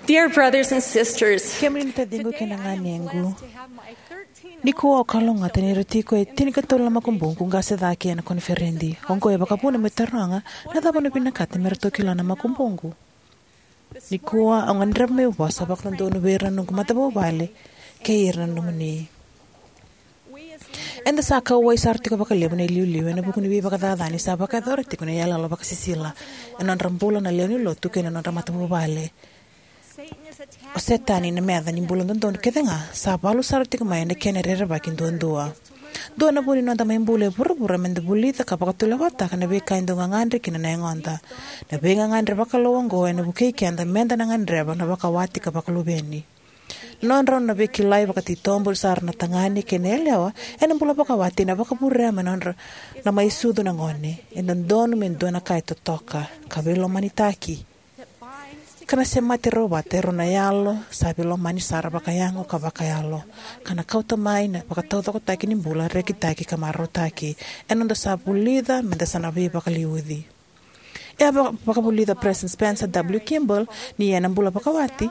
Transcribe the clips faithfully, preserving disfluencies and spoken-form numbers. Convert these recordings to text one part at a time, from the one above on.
Dear brothers and sisters, kemuni na taciqu kei na ganequ, nikua au kalougata ni ra tiko e tinikatolu na makubuqu qase cake ena koniferedi. Oqo e vakavuna meu taroga, na cava au na vinakata me ratou kila na makubuqu? Nikua au gadreva meu vosa vakadodonu vei ira na noqu matavuvale kei ira na nomuni. Eda sa kauwai sara tiko vakalevu na iliuliu ena vuku ni veivakacacani sa vakayacora tiko na iyaloyalo vakasisila ena nodra bula na lewe ni lotu kei na nodra matavuvale. O Setani, na meca ni bula dodonu kece ga, sa valu sara tiko mai ena kena rerevaki duadua. Dua na vu ni noda mai bula e vuravura meda vulica ka vakatulewataka na veika e dau gagadre kina na yagoda. Na veigagadre vakalou oqo ena vukei keda meda na gadreva na vakawati ka vakaluveni. Na nodrau na veikilai vakatitobu sara na tagane kei na yalewa ena bula vakawati ena vakavurea mai na nodra na mai sucu na gone. E dodonu me dua na ka e totoka ka veilomanitaki, ka na semati rau vata e rua na yalo sa veilomani sara vakayago ka vakayalo, ka na kauta mai na vakataucokotaki ni bula rekitaki ka marautaki. E noda sa vulica meda sa na veivakaliuci. E a vaka- vakavulica President Spencer W. Kimball ni ena bula vakawati,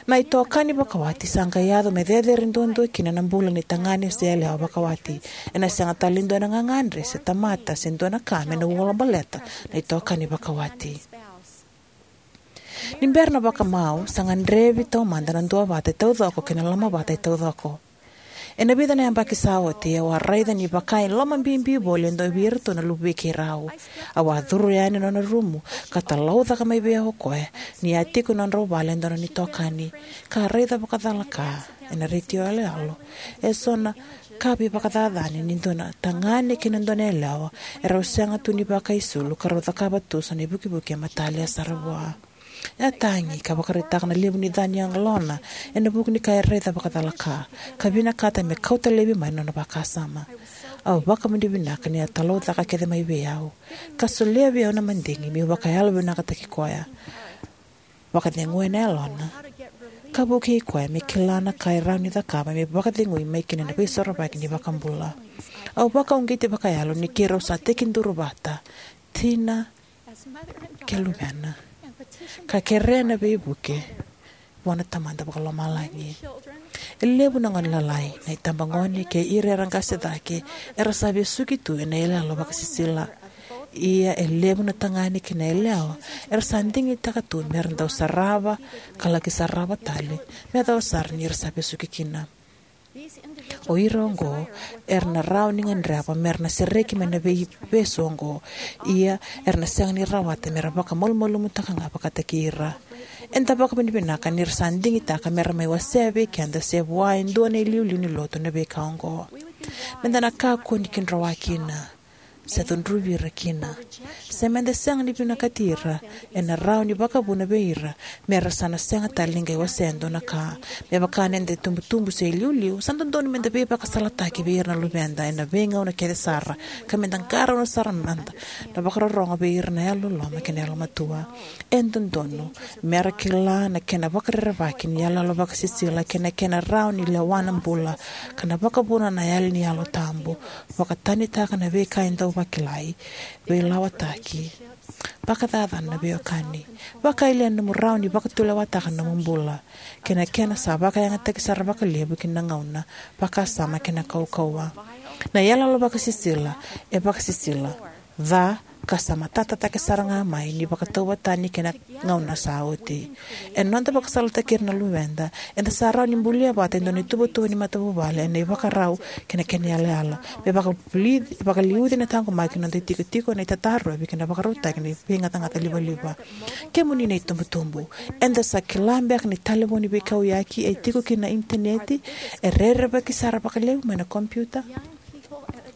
na itokani vakawati sa qai yaco me cecere duadua kina na bula ni tagane se yalewa vakawati. Ena sega tale ni dua na gagadre se tamata se dua na ka me na ulabaleta na itokani vakawati. Ni bera na vakamau, sa gadrevi taumada na duavata e taucoko kei na lomavata e taucoko. Ena vica na yabaki sa oti, au a raica ni vaka e lomabibi voli e dua vei iratou na luvei keirau. Au a curu yani na nona rumu ka talaucaka mai vei au o koya ni a tiko e nodrau vale e dua na nona itokani, ka raica vakacalaka ena retio yaloyalo eso na ka veivakacacani ni dua na tagane kei na dua na yalewa erau sega tu ni vakaisulu ka rau cakava tu so na ivukivuki e matalia sara vua. E a tagi ka vakaraitaka na levu ni ca ni yalona ena vuku ni ka e raica vakacalaka, ka vinakata me kauta laivi mai na nona vakasama. Au vakavinavinaka ni a talaucaka kece mai vei au ka solia vei au na madigi meu vakayalovinakataki koya, vakaceguya na yalona, ka vukei koya me kila na ka e rawa ni cakava me vakacegui mai kina na veisorovaki ni iVakabula. Au vakauqeti vakayalo ni keirau sa tekiduru vata, tina kei luvena, ka kerea na veivuke vua na Tamada Vakalomalagi. E levu na gone lalai, na itabagone kei ira era qase cake, era sa vesuki tu ena iyaloyalo vakasisila. Ia e levu na tagane kei na yalewa era sa digitaka tu mera dau sarava ka laki sarava tale, me yacova sara ni ra sa vesuki kina. O ira oqo era na rawa ni gadreva mera na sereki mai na veivesu oqo, ia era na sega ni rawata mera vakamalumalumutaka ga vakataki ira. Eda vakavinavinaka ni ra sa digitaka mera mai wasea vei keda se vua e dua na iliuliu ni lotu na veika oqo. Meda na kakua ni kidrowa kina se cudruvi ira kina. Se meda sega ni vinakati ira, ena rawa ni vakavuna vei ira mera sa na sega tale ni qai wasea e dua na ka. Me vaka ni da itubutubu se iliuliu, sa dodonu meda veivakasalataki vei ira na luveda ena veigauna kece sara, ka meda qarauna sara mada na vakarorogo vei ira na yalololoma kei na yalomatua. E dodonu mera kila na kena vakarerevaki ni iyaloyalo vakasisila kei na kena rawa ni lewa na bula, ka na vakavuna na yali ni Yalo Tabu, vakatanitaka na veika e dau vakilai, veilawataki, vakacacana na veiwekani, vakayalia na nomu rawa ni vakatulewataka na nomu bula, kei na kena sa vakayagataki sara vakalevu ki na gauna, vakasama kei na kaukauwa. Na iyaloyalo vakasisila e vakasisila ca ka sa matata cake sara ga mai ni vakatauvatani kei na gauna sa oti. Ena noda vakasalataki ira na luveda, eda sa rawa ni bulia vata e dua na ituvatuva ni matavuvale ena ivakarau kei na kena iyalayala, me vakavuli- vakaliuci na taqomaki ni noda itikotiko ena itatarovi kei na vakarautaki ni veigacagaca livaliva. Kemuni na itubutubu, eda sa kila beka ni talevoni veikauyaki e tiko kina na initaneti e rerevaki sara vakalevu mai na kompiuta?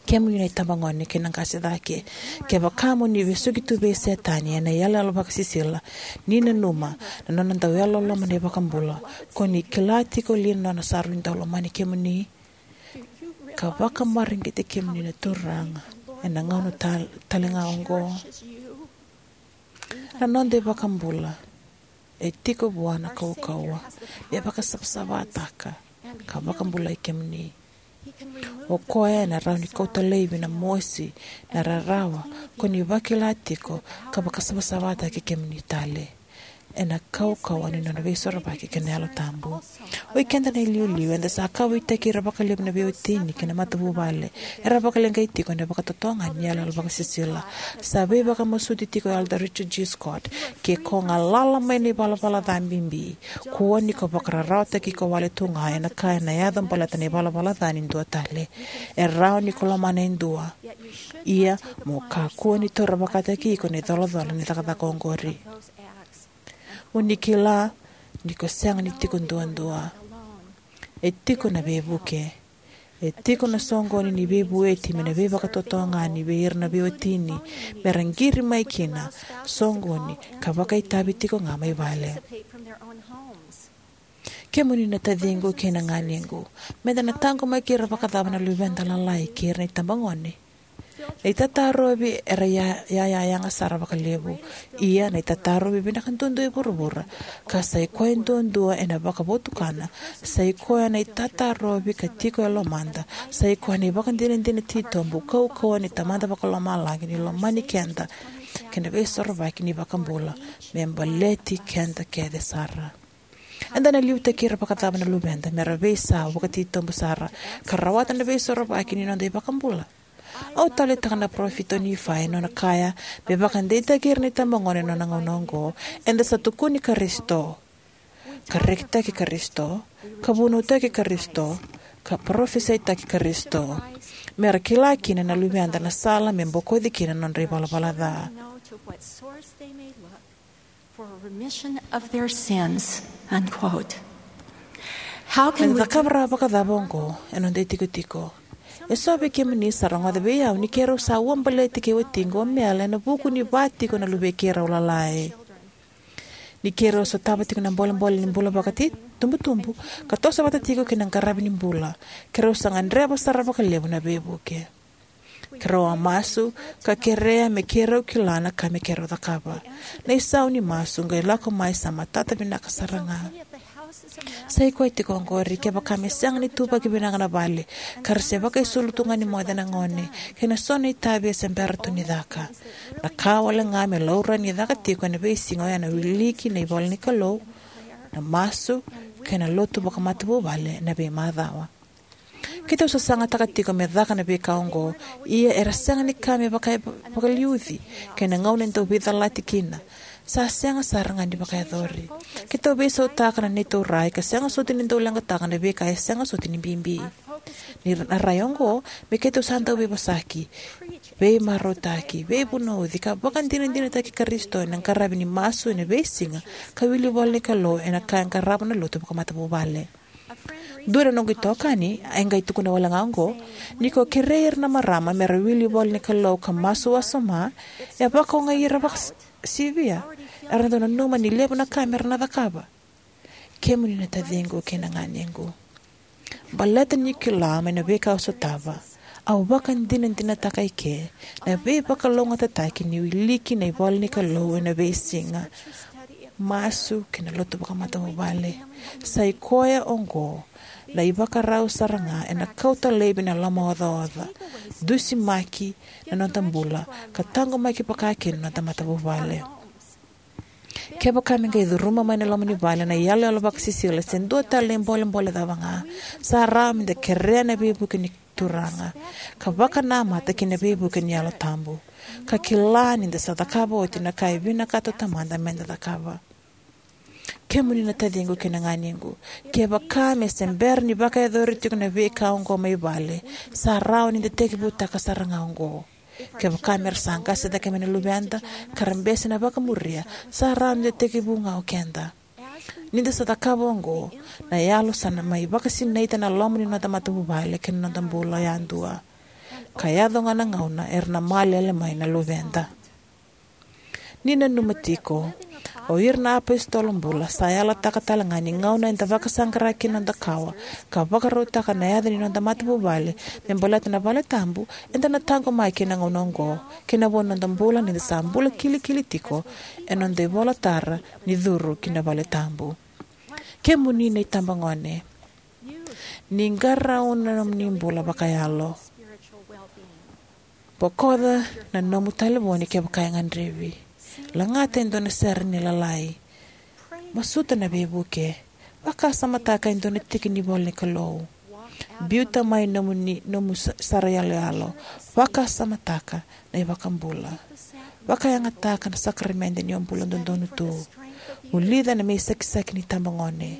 Kemuni na itabagone kei na qase cake, kevaka mo ni vesuki tu vei Setani ena iyaloyalo vakasisila, ni nanuma na nona dau yalololoma na iVakabula, ko ni kila tiko li na nona sa rui dau lomani kemuni, ka vakamareqeti kemuni na Turaga ena gauna tal- tale ga oqo? Na noda iVakabula e tiko vua na kaukauwa me vakasavasavataka ka vakabulai kemuni. O koya ena rawa ni kauta laivi na mosi, na rarawa ko ni vakila tiko, ka vakasavasavataki kemuni tale. ena kaukauwa ni nona veisorovaki kei na Yalo Tabu. Oi keda na iliuliu, eda sa kauwaitaki ira vakalevu na veiwatini kei na matavuvale era vakaleqai tiko ena vakatotogani ni iyaloyalo vakasisila. Sa veivakamasuti tiko o Elder Richard G. Scott: Ke ko galala mai na ivalavala ca bibi, kua ni ko vakararawataki iko wale tu ga ena ka ena yaco baleta na ivalavala ca ni dua tale. E rawa ni ko lomana e dua, ia mo kakua ni taura vakataki iko na icolacola ni cakacaka oqori. Mo ni kila ni ko sega ni tiko duadua. E tiko na veivuke. E tiko na soqoni ni veivueti mai na veivakatotogani vei ira na veiwatini me ra qiri mai kina, soqoni, ka vakaitavi tiko ga mai vale. Kemuni na taciqu kei na ganequ, meda na taqomaki ira vakacava na luveda lalai kei ira na itabagone? Na itatarovi era ya- ya- ya- yaga sara vakalevu. Ia na itatarovi vinaka duadua e vuravura, ka sa i koya duadua ena vakavotukana, sa i koya na itatarovi ka tiko e lomada, sa i koya na ivakadinadina titobu kaukauwa ni Tamada Vakalomalagi ni lomani keda kei na Veisorovaki ni iVakabula me baleti keda kece sara. Eda na liutaki ira vakacava na luveda me ra veisau vakatitobu sara ka rawata na Veisorovaki ni noda iVakabula? Au taleitaka na parofita o Nifai ena nona kaya me vakadeitaki ira na itabagone ena nona gauna oqo: Eda sa tukuni Karisito, ka rekitaki Karisito, ka vunautaki Karisito, ka parofisaitaki Karisito, me ra kila kina na luveda na sala me bokoci kina na nodra ivalavala ca. For a remission of their sins, unquote. How can Eda we cakava rawa vakacava oqo ena noda itikotiko? Eso vei kemuni sa rogoca vei au ni keirau sa ua baleti kei watiqu o Mel ena vuku ni va tiko na luvei keirau lalai. Ni keirau sotava tiko na bolebole ni bula vakaitubutubu ka toso vata tiko kei na qaravi ni bula, keirau sa gadreva sara vakalevu na veivuke. Keirau a masu ka kerea me keirau kila na ka me keirau cakava. Na isau ni masu qai lako mai sa matata vinaka sara ga. Sa i koya tiko oqori, kevaka me sega ni tuvaki vinaka na vale, ka ra se vakaisulu tu ga ni moce na gone, kei na so na itavi e se bera tu ni caka, na ka wale ga me laurai ni caka tiko ena veisiga oya na wiliki na ivola ni Kalou, na masu, kei na lotu vakamatavuvale ena veimacawa. Keitou sasagataka tiko me caka na veika oqo, ia era sega ni ka me vaka- vakaliuci, kei na gauna e dau veicalati kina, sa sega sara ga ni vakayacori. Keitou veisautaka na neitou rai ka sega soti ni dau leqataka na veika e sega soti ni bibi. Ni ra- na rai oqo, me keitou sa dau veivosaki, veimarautaki, veivunauci, ka vakadinadinataki Karisito ena qaravi ni masu ena veisiga, ka wili ivola ni Kalou ena ka e qarava na lotu vakamatavuvale. Dua na noqu itokani e qai tukuna wale ga oqo: Ni ko kerei ira na marama me ra wili ivola ni Kalou ka masu wasoma, e vakaogai ira vakasivia. Era dau nanuma ni levu na ka me ra na cakava. Kemuni na taciqu kei na ganequ, baleta niu kila mai na veika au sotava, au vakadinadinataka eke na veivakalougatataki ni wiliki na ivola ni Kalou ena veisiga, masu, kei na lotu vakamatavuvale. Sa i koya oqo na ivakarau sara ga ena kauta laivi na lomaocaoca, dusimaki na noda bula, ka taqomaki vakakina na noda matavuvale. Kevaka me qai curuma mai na loma ni vale na iyaloyalo vakasisila se dua tale na ibolebole cava ga, sa rawa meda kerea na veivuke ni Turaga, ka vakanamata ki na veivuke ni Yalo Tabu, ka kila ni da sa cakava oti na ka e vinakata o Tamada meda cakava. Kemuni na taciqu kei na ganequ, kevaka me se bera ni vakayacori tiko na veika oqo mai vale, sa rawa ni da tekivutaka sara ga oqo. Kevaka me ra sa qase cake mai na luveda ka ra bese na vakamuria, sa rawa ni da tekivu ga o keda. Ni da sa cakava oqo, na Yalo sa na mai vakasinaita na loma ni noda matavuvale kei na noda bula yadua, ka yaco ga na gauna era na malele mai na luveda. Ni nanuma tiko, o ira na apositolo bula sa yalataka tale ga ni gauna eda vakasaqara kina na noda kawa ka vakarautaka na yaca ni noda matavuvale me baleta na vale tabu, eda na taqomaki ena gauna oqo kei na vo ni noda bula ni da sa bula kilikili tiko ena noda ivolatara ni curu ki na vale tabu. Kemuni na itabagone, ni qarauna na nomuni bula vakayalo. Bokoca na nomu talevoni kevaka e gadrevi. Lagata e dua na sere ni lalai. Masuta na veivuke. Vakasamataka e dua na tiki ni ivola ni Kalou. Biuta mai nomu, ni, nomu sa- sara iyaloyalo. Vakasamataka na iVakabula. Vakayagataka na sakaramede ni o bula dodonu tu. Vulica na me isakisaki ni tabagone.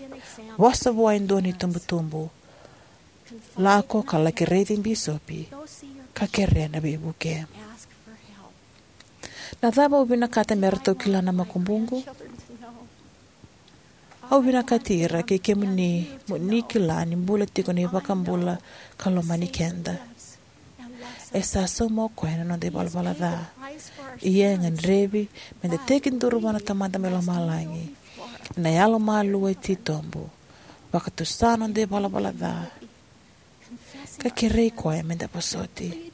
Vosa vua e dua na itubutubu. Lako ka laki raici bisopi ka kerea na veivuke. Na cava au vinakata me ratou kila na makubuqu? Au vinakati ira kei kemuni mo ni kila ni bula tiko na iVakabula ka lomani keda. E sa sauma o koya na noda ivalavala ca. Ia e gadrevi meda tekiduru vua na Tamada mai lomalagi ena yalomalua e titobu, vakatusa noda ivalavala ca, ka kerei koya meda vosoti.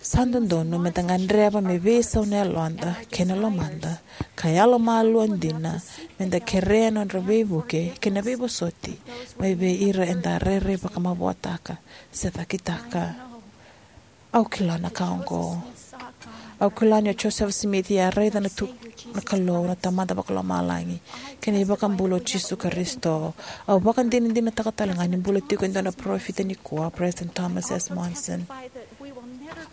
Sa dodonu meda gadreva me veisau na yaloda kei na lomada, ka yalomalua dina meda kerea na nodra veivuke kei na veivosoti mai vei ira eda rairai vakamavoataka se cakitaka. Au kila na ka oqo. Au kila ni o Joseph Smith e a raica na tu na Kalou na Tamada Vakalomalagi kei na iVakabula o Jisu Karisito. Au vakadinadinataka talega ni bula tiko e dua na parofita nikua, President Thomas S. Monson.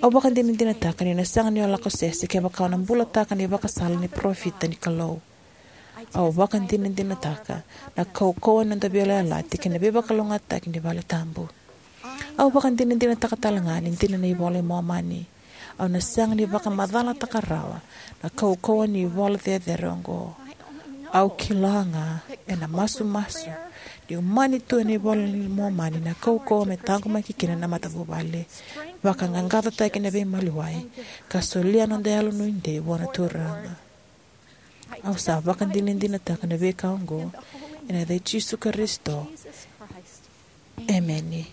Au vakadinadinataka ni na sega ni o lako sese kevaka o na bulataka na ivakasala ni parofita ni Kalou. Au vakadinadinataka na kaukauwa ni noda veiyalayalati kei na veivakalougatataki ni vale tabu. Au vakadinadinataka talega ni dina na iVola i Momani. Au na sega ni vakamacalataka rawa na kaukauwa ni ivola cecere oqo. Au kila ga ena masumasu ni umani tu ena iVola i Momani na kaukauwa me taqomaki kina na matavuvale, vakaqaqacotaki na veimaliwai, ka solia noda yalonuidei vua na Turaga. Au sa vakadinadinataka na veika oqo ena yaca i Jisu Karisito. Emeni.